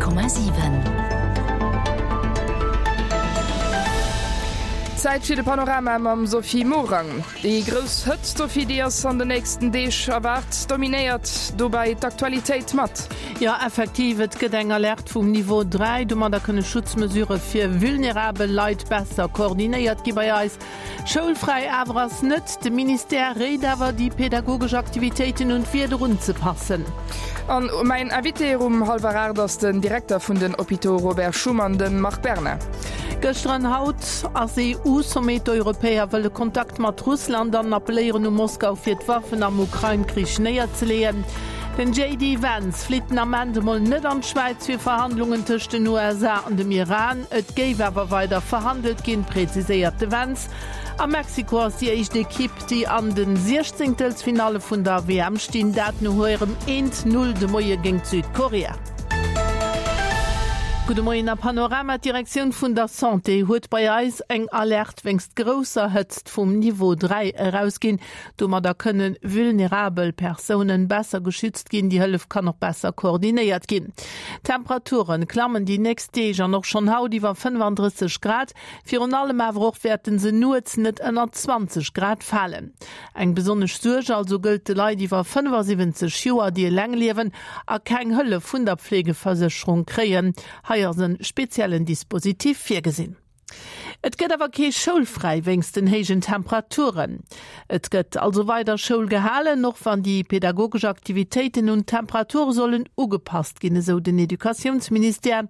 100,7. Zäit fir de Panorama mam Sophie Morang. Déi grouss Hëtzt, Sophie, déi ass an den nächsten Deeg erwaart, dominéiert dobäi d'Aktualitéit mat. Jo, effektiv, et gëtt eng Alerte vum Niveau 3. Domadder kënne Schutzmesurë fir vulnerabel Leit besser koordinéiert gi bei eis. Schoulfräi awer ass net. De Ministère réit awer, déi pedagogesch Aktivitéiten un d'Wieder unzepassen. An mäin Invité um hallwer 8 ass den Direkter vun den Hôpitaux Robert Schuman, de Marc Berna. Gëschter an haut ass EU-Sommet. D'Europäer wëlle Kontakt mat Russland an appelléieren u Moskau fir d'Waffen am Ukrain-Krich néierzeleeën. Den JD Vance flitt den Ament emol net an d'Schwäiz fir Verhandlungen tëscht den USA an dem Iran. Et géif awer weider verhandelt ginn, präziséiert de Vance. A Mexiko ass déi éischt Ekipp, déi an de Siechzéngtelsfinalle vun der WM stinn, dat no hirem eent Null de Moie géint Südkorea. Gudde Moien a Panorama, D'Direktioun vun der Santé huet bei eis eng Alerte wéinst grousser Hëtzt vum Niveau 3 erausginn. Domadder kënne vulnerabel Persounen besser geschützt ginn. Déi Hëllef kann och besser koordinéiert ginn. D'Temperaturen klammen déi nächst Deeg an och schonn haut iwwer 35 Grad. Virun allem awer och wäerten se nuets net ënner 20 Grad falen. Eng besonnesch Suerg also gëllt de Leit iwwer 75 Joer, déi eleng liewen a keng Hëllef vun der Pflegeversécherung kréien. Hei ass e speziellen Dispositif virgesinn. Et gëtt awer kee Schoulfräi wéinst den héijen Temperaturen. Et gëtt also weider Schoul gehalen, och wann déi pedagogesch Aktivitéiten un d'Temperature sollen ugepasst ginn, esou den Educatiounsministère.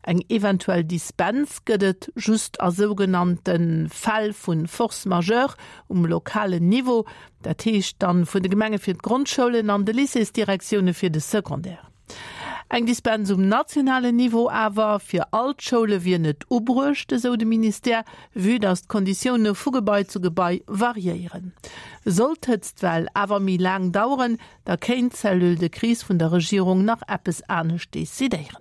Eng eventuell Dispens gëtt et just a sougenannte Fäll vu Force majeure um lokalen Niveau, dat heescht dann vun de Gemenge fir d'Grondschoulen an de Lycéesdirektioune fir de Secondaire. Eng Dispens um nationalen Niveau awer fir all d'Schoule wier net ubruecht, esou de Ministère, vue datt d'Konditioune vu Gebai zu Gebai variéieren. Sollt d'Hëtztwell awer méi laang daueren, da kéint d'Cellule de crise vun der Regierung nach eppes anescht decidéieren.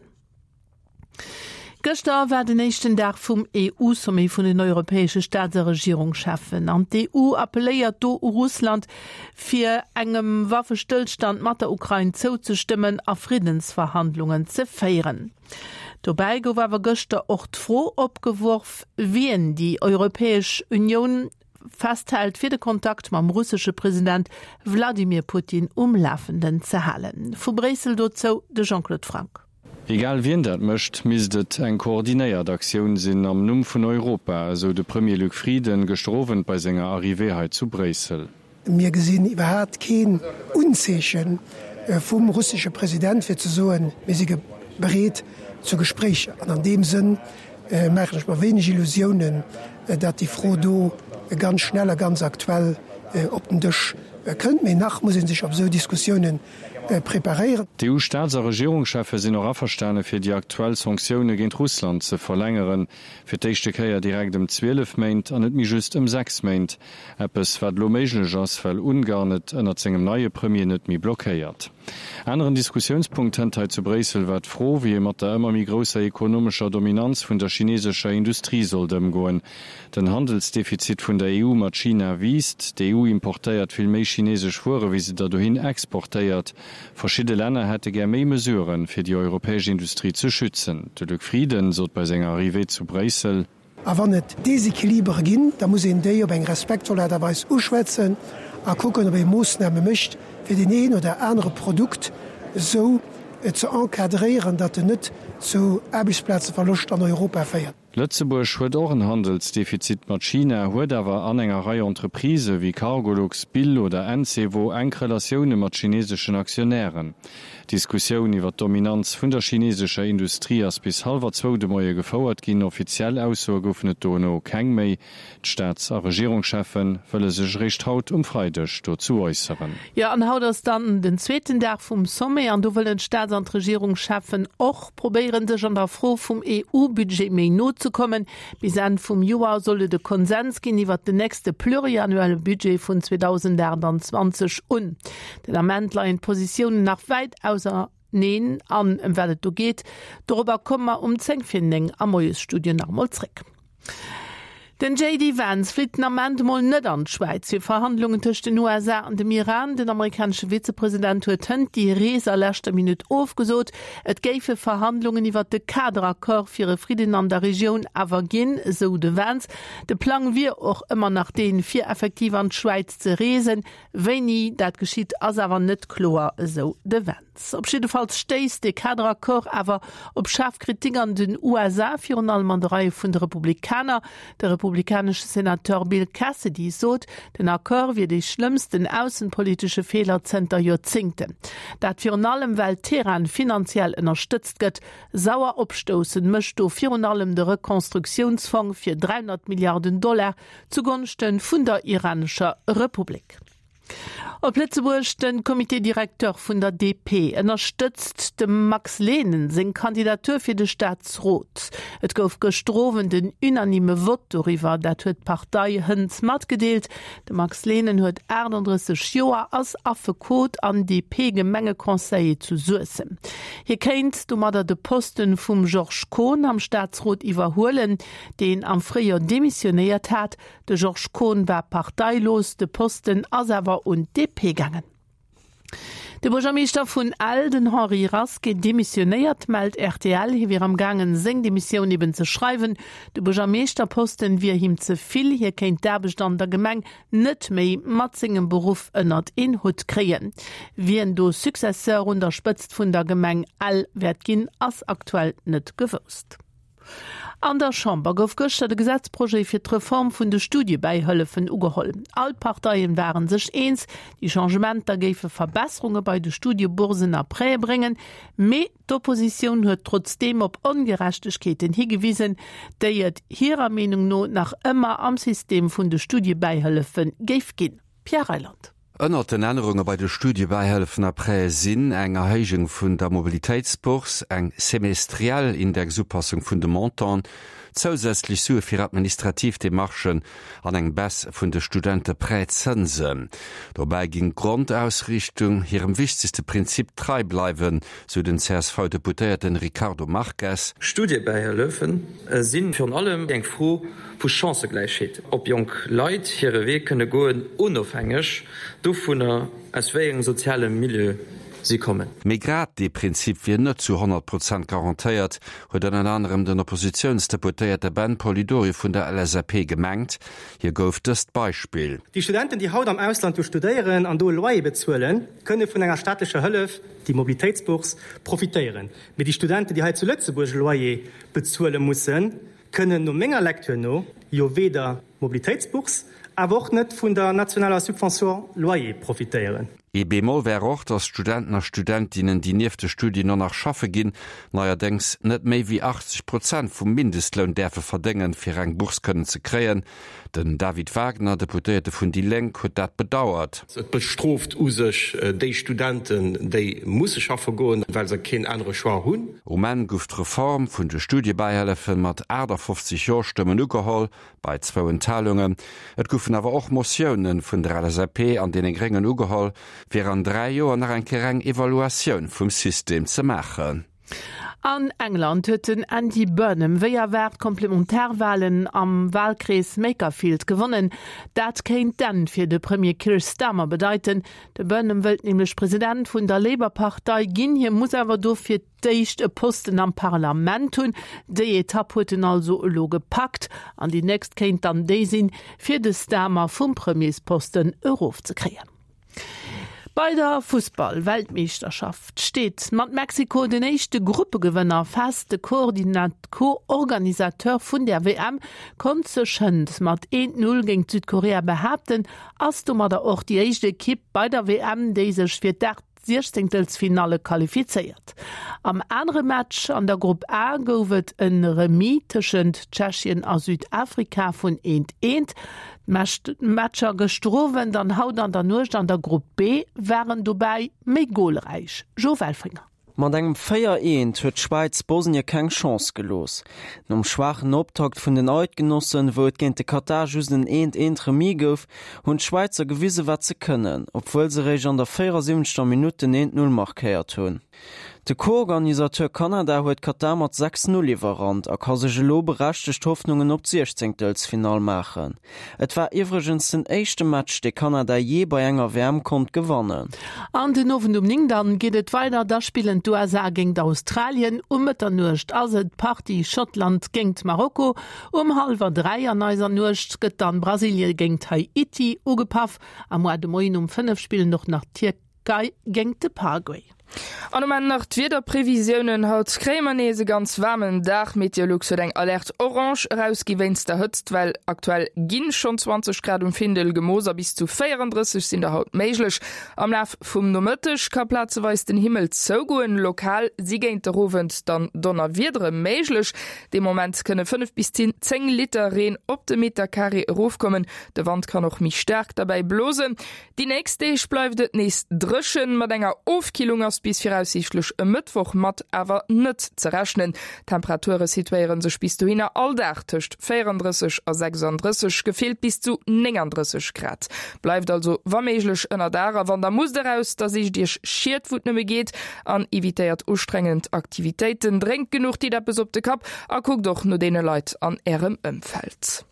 Gëschter war den éischten Dag vum EU-Sommet vun den europäesche Staats a Regierungscheffen an d'EU appelléiert do u Russland, fir engem Waffestëllstand mat der Ukrain zouzestëmmen a Friddensverhandlungen ze féieren. Dobäi gouf awer gëschter och d'Fro opgeworf, wien déi Europäesch Unioun festhält, fir de Kontakt mam russesche President Wladimir Putin um Lafenden ze halen. Vu Bréissel dozou de Jean-Claude Franck. Egal wien dat mécht, misst et eng koordinéiert Aktioun sinn am Numm vun Europa, esou de Premier Luc Frieden gëschter Owend bei senger Arrivée hei zu Bréissel. Mir gesinn iwwerhaapt keen Unzeeche vum russesche President fir ze soen, mir si bereet zu Gespréicher. An an deem Sënn maachen ech mer wéineg Illusiounen, datt déi Fro do ganz schnell a ganz aktuell op den Dësch kënnt. Mee nach muss ee sech op esou Diskussiounen preparéieren. D'EU-Staats a Regierungscheffe sinn och averstane fir déi aktuell Sanktioune géint Russland ze verlängeren, fir d'éischte Kéier direkt ëm 12 Méint an net méi just ëm 6 Méint. Eppes wat elo méiglech ass, well Ungarn et ënnert sengem neie Premier net méi blockéiert. Aneren Diskussiounspunkt hënt hei zu Bréissel war d'Fro, wéi ee mat der ëmmer méi grousser ekonomescher Dominanz vun der chinesescher Industrie sollt ëmgoen. Den Handelsdefizit vun der EU mat China wiisst. D'EU importéiert vill méi chinesesch Wuere wéi se der dohin exportéiert. Verschidde Länner hätte gär méi Mesuren, fir déi europäesch Industrie ze schützen. De Luc Frieden sot bei senger Arrivée zu Bréissel. A wann et Desequilibere ginn, da muss een déi op eng respektvoll Aart a Weis uschwätzen a kucken, ob ee Moossname mécht, fir deen een oder anere Produkt esou ze encadréieren, datt en net zu Aarbechtsplazeverloscht an Europa féiert. Lëtzebuerg huet och en Handelsdefizit mat China, huet awer an enger Rei Entreprisë wéi Cargolux, Bill oder Encevo enk Relatioune mat chineseschen Aktionären. D'Diskussioun iwwer d'Dominanz vun der chinesescher Industrie ass bis hallwer zwou de Moie gefouert ginn. Offiziell Aussoe goufen et dono keng méi. D'Staats a Regierungscheffe wëlle sech eréischt haut um Freideg dozou äusseren. Jo, an haut ass dann den zweeten Dag vum Sommet an do wëllen d'Staats an d'Regierungscheffen och probéieren, sech an der Fro vum EU-Budget méi no ze kommen. Bis Enn vum Joer soll et e Konsens ginn iwwert den nächste pluriannuelle Budget vun 2028 un. Den Ament leien d'Positiounen nach wäit auserneen an ëm wat et do geet, dorobber komme mer um 10 vir 9 am Moiesstudio nach emol zréck. Den JD Vance flitt den Ament mol net an d'Schwäiz fir Verhandlungen tëscht den USA an dem Iran. Den amerikanesche Vizepresident huet hënt déi Rees a leschter Minutt ofgesot. Et géife Verhandlungen iwwer de Kaderaccord fir e Fridden an der Regioun awer ginn, esou de Vance. De Plang wier och ëmmer nach deen, fir effektiv an d'Schwäiz ze reesen. Wéini dat geschitt, ass awer net kloer, esou de Vance. Op jiddefalls stéisst dee Kaderaccord awer op schaarf Kritik an den USA, virun allem an de Reie vun de Republikaner. De republikanesche Senateur Bill Cassidy sot, den Accord wier dee schlëmmsten aussenpolitesche Feeler zënter Joerzéngten. Dat virun allem, well Teheran finanziell ënnerstëtzt gëtt. Sauer opstoussen mécht do virun allem de Rekonstruktiounsfong fir 300 Milliarden Dollar, Zugonschte vun der iranescher Republik. Op Lëtzebuerg, De Comité directeur vun der DP ënnerstëtzt dem Max Lehnen seng Kandidatur fir de Staatsrot. Et gouf gëschter Owend en unanime Vott doriwwer, dat huet d'Partei hënt matgedeelt. De Max Lehnen huet 38 Joer, ass Affekot an DP-Gemengeconseiller zu Suessem. Hie kéint domadder de Posten vum Georges Kohn am Staatsrot iwwerhuelen. deen am Fréijoer demissionéiert hat. De Georges Kohn war parteilos, de Posten ass awer un d'DP gaangen. De Buergermeeschter vun Ell, den Henri Rasqué, demissionéiert, mellt rtl. Hie wier am gaangen, seng Demissioun eben ze schreiwen. De Buergermeeschterposten wier him ze vill, hie kéint d'Aarbecht an der Gemeng net méi mat sengem Beruff ënnert een Hutt kréien. Wien do Successeur un der Spëtzt vun der Gemeng Ell wäert ginn, ass aktuell net gewousst. An der Chamber gouf gëschter de Gesetzprojet fir d'Reform vun de Studiebäihëllefen ugeholl. All d'Parteien ware sech eens, déi Changementer géife Verbesserunge bei de Studieboursen a Prêtë bréngen. Mee d'Oppositioun huet trotzdeem op Ongerechtegkeeten higewisen, déi et hirer Meenung no nach ëmmer am System vun de Studiebäihëllefe géif ginn. Pierre Reyland. Ënnert den Ännerunge bei de Studiebäihëllefen a Prêtë sinn eng Erhéijung vun der Mobilitéitsbourse, eng semestriell Indexupassung vun de Montanten, zousätzlech Sue fir administrativ Demarchen an eng Baisse vun de Studenteprêtzënsen. Dobäi géing d'Grondausriichtung hirem wichtegste Prinzip trei bleiwen, sou den CSV-Deputéierten Ricardo Marques. Studiebäihëllefen si virun allem eng Fro vu Chancëgläichheet, ob jonk Leit hire Wee kënne goen, onofhängeg dovunner, aus wéi engem soziale Milieu si kommen. Mee grad dee Prinzip wier net zu 100 Prozent garantéiert, huet ënnert anerem den Oppositiounsdeputéierte Ben Polidori vun der LSAP gemengt. Hie gouf dëst Beispill. Déi Studenten, déi haut am Ausland do studéieren an do e Loyer bezuelen, kënne vun enger staatlecher Hëllef, déi Mobilitéitsbourse, profitéieren. Mee déi Studenten, déi hei zu Lëtzebuerg e Loyer bezuele mussen, kënnen no menger Lecture no jo weder Mobilitéitsbourse, awer och net vun der nationaler Subvention loyer profitéieren. Ee Bémol wär och, datt Studenten a Studentinnen, déi nieft de Studien och nach schaffe ginn, neierdéngs net méi wéi 80 Prozent vum Mindestloun däerfe verdéngen, fir eng Bourse kënnen ze kréien. Den David Wagner, Deputéierte vun déi Lénk, huet dat bedauert. Et bestrooft u sech déi Studenten, déi musse schaffe goen, well se keen anere Choix hunn. Um Enn gouf d'Reform vun de Studiebäihëllefe mat 58 Jo-Stëmmen ugeholl, bei zwou Enthalungen. Et goufen awer och Motioune vun der LSAP an deene Gréngen ugeholl, fir an 3 Joer nach eng Kéier eng Evaluatioun vum System ze maachen. An England huet den Andy Burnham wéi erwaart d'Komplementarwalen am Walkrees Makerfield gewonnen. Dat kéint d'Enn fir de Premier Keir Starmer bedeiten. De Burnham wëllt nämlech President vun der Labour-Partei ginn. Hie muss awer dofir d'éischt e Posten am Parlament hunn. Déi Etapp huet en also elo gepackt an déi nächst kéint dann déi sinn, fir de Starmer vum Premiersposten erofzekréien. Bei der Fussball-Weltmeeschterschaft steet mat Mexiko den éischte Gruppegewënner fest. De Co-Organisateur vun der WM konnt sech hënt mat 1, 0 géint Südkorea behaapten, ass domadder och déi éischt Ekipp bei der WM, déi sech fir d'Aacht-Siechzéngtelsfinalle qualifizéiert. Am anere Match an der Grupp A gouf et e Remis tëschent Tschechien a Südafrika vun 1, 1. D'Matcher gëschter Owend an haut an der Nuecht an der Grupp B waren dobäi méi golräich. Jo Welfringer. Mat engem 4, 1 huet d'Schwäiz Bosnie keng Chance gelooss. Nom schwaachen Optakt vun den Eidgenossen, wou et géint de Katar just en 1, 1 Remis gouf, hunn d'Schwäizer gewise wat se kënnen, obwuel se réischt an der 74. Minutt den 1, 0 markéiert hunn. De Co-Organisateur Kanada huet Katar mat 6, 0 iwwerrannt a ka sech elo berechtegt Hoffnungen op d'Siechzéngtelsfinall maachen. Et war iwwregens den éischte Match, dee Kanada jee bei enger WM konnt gewannen. An den Owend um 9 dann geet et weider, da spillen d'USA géingt Australien, um Mëtternuecht ass et d'Partie Schottland géingt Marokko, um hallwer 3 an eiser Nuecht gëtt dann Brasilie géingt Haiti ugepaff a moar de Moien um 5 spillen och nach d'Tierkei géingt de Paraguay. An um Enn nach d'Wiederprevisiounen, Haut kréie mer nees e ganz waarmen Dag. Meteolux huet eng Alerte orange erausgi wéinst der Hëtztwell. Aktuell ginn schonn 20 Grad um Findel gemooss a bis zu 34 sinn der haut méiglech. Am Laf vum Nomëtteg ka plazeweis den Himmel zougoen, lokal si géint der Owend dann Donnerwiedere méiglech. Dee Moment kënne 5 bis 10 Liter Reen op de Meterkaree erofkommen. De Wand kann och méi staark derbäi blosen. Déi nächst Deeg bleift et nees dréchen, mat enger Ofkillung ass bis viraussiichtlech e Mëttwoch mat awer net ze rechnen. D'Temperature situéiere sech bis dohinner all Dag tëscht 34 a 36, gefillt bis zu 39 Grad. Bleift also wa méiglech ënner Daach a wann der musst eraus, da sicht Iech Schied wou et nëmme geet an evitéiert ustrengend Aktivitéiten. Drénkt genuch, ditt eppes op de Kapp a kuckt och no deene Leit an Ärem Ëmfeld.